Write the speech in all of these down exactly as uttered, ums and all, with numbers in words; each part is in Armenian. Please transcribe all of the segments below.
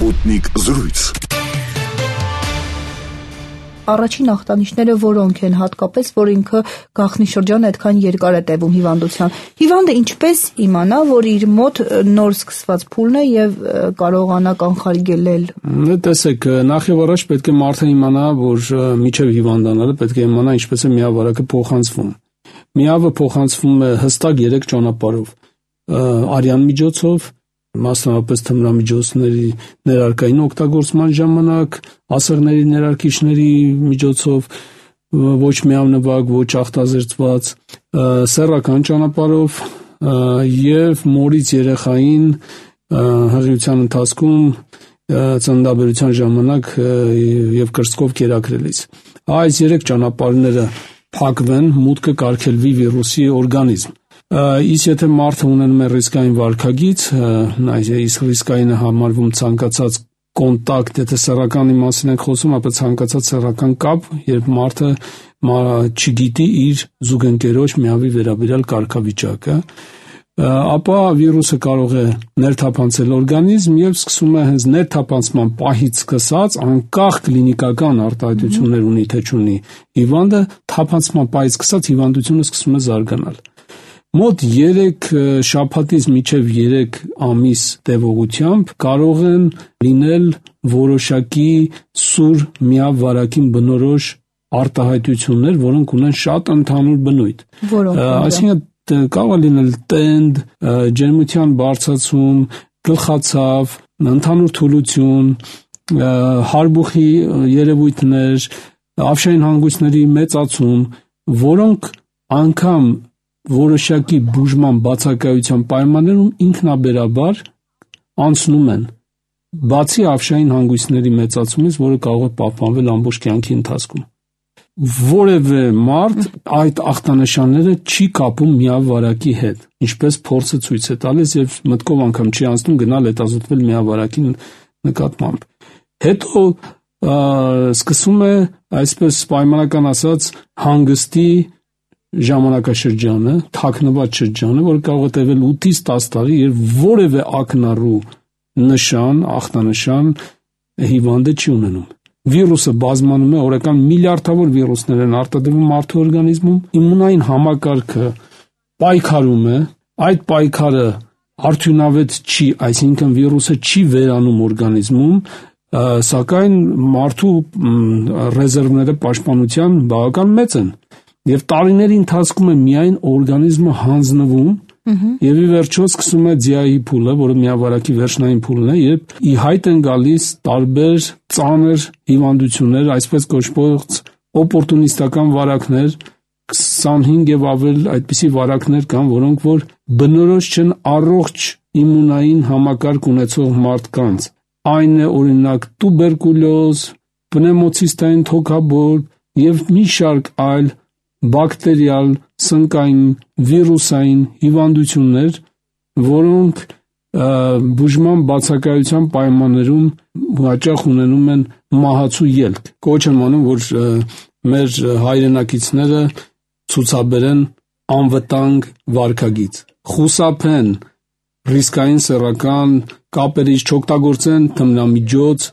Sputnik զրույց։ Առաջին ախտանիշները որոնք են, հատկապես, որ ինքը գաղտնի շրջանը այդքան երկար է տևում հիվանդության։ Հիվանդը ինչպես իմանա, որ իր մոտ նոր սկսված փուլն է եւ կարողանա կանխարգելել։ Տեսեք, նախ եւ առաջ պետք է մարդը իմանա, որ միջև հիվանդանալը պետք է իմանա ինչպես է միավարակը փոխանցվում։ Միավը փոխանցվում է հստակ երեք ճանապարհով՝ արյան միջոցով, մասնավորապես թմրամիջոցների ներարկային օգտագործման ժամանակ, ասեղների ներարկիչների միջոցով, ոչ միանվագ, ոչ ախտազերծված, սեռական ճանապարհով եւ մորից երեխային հղիության ընթացքում ծննդաբերության ժամանակ եւ կրծքով կերակրելիս։ Այս երեք ճանապարհները փակվեն, մուտքը կարգելվի վիրուսի օրգանիզմ։ Իսկ եթե մարդը ունենում է ռիսկային վարքագիծ, իսկ ռիսկայինը համարվում ցանկացած կոնտակտ, եթե սեռականի մասին ենք խոսում, ապա ցանկացած սեռական կապ, երբ մարդը չգիտի իր զուգընկերոջ միավի վերաբերյալ կարգավիճակը, ապա վիրուսը կարող է ներթափանցել օրգանիզմ եւ սկսում է հենց ներթափանցման պահից սկսած, անկախ կլինիկական արտահայտություններ ունի թե չունի, հիվանդը թափանցման պահից սկսած հիվանդությունը սկսում է զարգանալ։ Մոտ երեք շաբաթից մինչև երեք ամիս տևողությամբ կարող են լինել որոշակի սուր միավարակին բնորոշ արտահայտություններ, որոնք ունեն շատ ընդհանուր բնույթ։ Այսինքն կարող է լինել տենդ, ջերմության բարձրացում, գլխացավ, ընդհանուր թուլություն, հարբուխի երևույթներ, ավշային հանգույցների մեծացում, որոնք անգամ որոշակի բուժման բացակայության պայմաններում ինքնաբերաբար անցնում են, բացի ավշային հանգույցների մեծացումից, որը կարող է պահպանվել ամբողջ կյանքի ընթացքում։ Որևէ մարդ այդ ախտանշանները չի կապում միավարակի հետ, ինչպես փորձը ցույց է տալիս եւ մտքով անգամ չի անցնում գնալ հետազոտվել միավարակի նկատմամբ։ Հետո սկսում է, այսպես պայմանական ասած, հանգստի ժամանակաշրջանը, թաքնված շրջանը, որ կարող է տևել ութից տասը տարի եւ որևէ ակնառու նշան, ախտանշան հիվանդը չի ունենում։ Վիրուսը բազմանում է, օրական միլիարդավոր վիրուսներ են արտադրվում մարդու օրգանիզմում, իմունային համակարգը պայքարում է, այդ պայքարը արդյունավետ չի, այսինքն վիրուսը չի վերանում օրգանիզմում, սակայն մարդու ռեզերվները պաշտպանության բավական մեծ են։ Եվ տարիների ընթացքում է միայն օրգանիզմը հանձնվում եւ ի վերջո սկսում է ձիայի փուլը, որը միավարակի վերջնային փուլն է, եւ ի հայտ են գալիս տարբեր ծանր հիվանդություններ, այսպես կոչված օպորտունիստական վարակներ, քսանհինգ եւ ավել այդպիսի վարակներ կան, որոնք որ բնորոշ չեն առողջ իմունային համակարգ ունեցող մարդկանց։ Այն է օրինակ տուբերկուլոզ, պնևմոցիստային թոքաբոր եւ մի շարք այլ բակտերիալ, սնկային, վիրուսային հիվանդություններ, որոնք բուժման բացակայության պայմաններում հաճախ ունենում են մահացու ելք։ Կոչ եմ անում, որ մեր հայրենակիցները ցուցաբերեն անվտանգ վարքագիծ, խուսափեն ռիսկային սեռական կապերից, չօգտագործեն թմրամիջոց,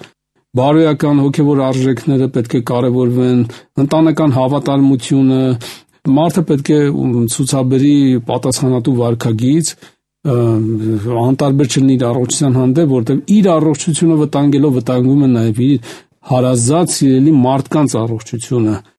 բարոյական հոգևոր արժեքները պետք է կարևորվեն, ընտանեկան հավատարմությունը, մարդը պետք է ցուցաբերի պատասխանատու վարքագիծ, անտարբեր չլինի իր առողջության հանդեպ, որտեղ իր առողջությունը վտանգելով վտանգում է նաև իր հարազատ սիրելի մարդկանց առողջությունը։